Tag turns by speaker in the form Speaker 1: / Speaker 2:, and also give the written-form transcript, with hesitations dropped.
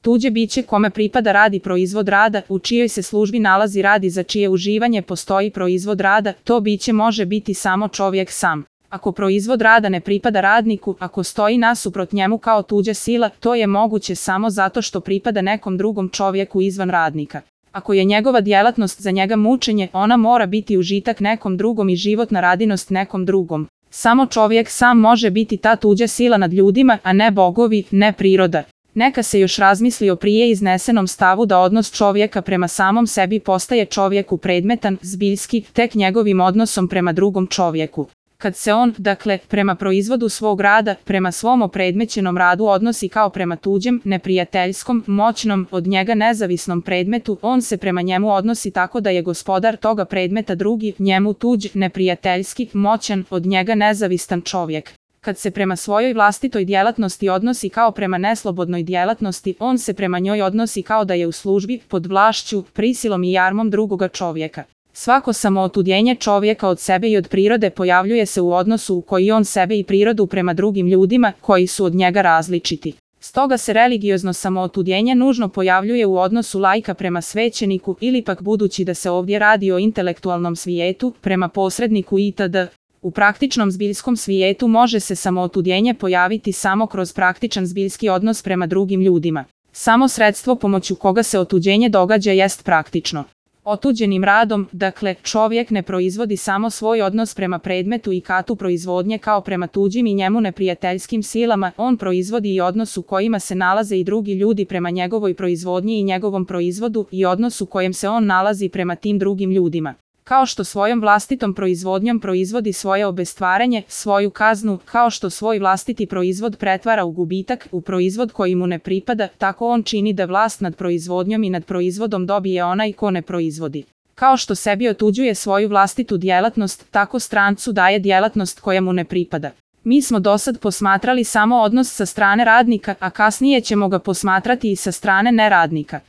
Speaker 1: Tuđe biće kome pripada radi proizvod rada, u čijoj se službi nalazi rad i za čije uživanje postoji proizvod rada, to biće može biti samo čovjek sam. Ako proizvod rada ne pripada radniku, ako stoji nasuprot njemu kao tuđa sila, to je moguće samo zato što pripada nekom drugom čovjeku izvan radnika. Ako je njegova djelatnost za njega mučenje, ona mora biti užitak nekom drugom i životna radinost nekom drugom. Samo čovjek sam može biti ta tuđa sila nad ljudima, a ne bogovi, ne priroda. Neka se još razmisli o prije iznesenom stavu da odnos čovjeka prema samom sebi postaje čovjeku predmetan, zbiljski, tek njegovim odnosom prema drugom čovjeku. Kad se on, dakle, prema proizvodu svog rada, prema svom opredmećenom radu odnosi kao prema tuđem, neprijateljskom, moćnom, od njega nezavisnom predmetu, on se prema njemu odnosi tako da je gospodar toga predmeta drugi, njemu tuđ, neprijateljski, moćan, od njega nezavistan čovjek. Kad se prema svojoj vlastitoj djelatnosti odnosi kao prema neslobodnoj djelatnosti, on se prema njoj odnosi kao da je u službi, pod vlašću, prisilom i jarmom drugoga čovjeka. Svako samootuđenje čovjeka od sebe i od prirode pojavljuje se u odnosu u koji on sebe i prirodu prema drugim ljudima, koji su od njega različiti. Stoga se religiozno samootuđenje nužno pojavljuje u odnosu laika prema svećeniku ili pak budući da se ovdje radi o intelektualnom svijetu, prema posredniku itd. U praktičnom zbiljskom svijetu može se samootuđenje pojaviti samo kroz praktičan zbiljski odnos prema drugim ljudima. Samo sredstvo pomoću koga se otuđenje događa jest praktično. Otuđenim radom, dakle, čovjek ne proizvodi samo svoj odnos prema predmetu i katu proizvodnje kao prema tuđim i njemu neprijateljskim silama, on proizvodi i odnos u kojima se nalaze i drugi ljudi prema njegovoj proizvodnji i njegovom proizvodu i odnos u kojem se on nalazi prema tim drugim ljudima. Kao što svojom vlastitom proizvodnjom proizvodi svoje obestvaranje, svoju kaznu, kao što svoj vlastiti proizvod pretvara u gubitak, u proizvod koji mu ne pripada, tako on čini da vlast nad proizvodnjom i nad proizvodom dobije onaj ko ne proizvodi. Kao što sebi otuđuje svoju vlastitu djelatnost, tako strancu daje djelatnost koja mu ne pripada. Mi smo dosad posmatrali samo odnos sa strane radnika, a kasnije ćemo ga posmatrati i sa strane neradnika.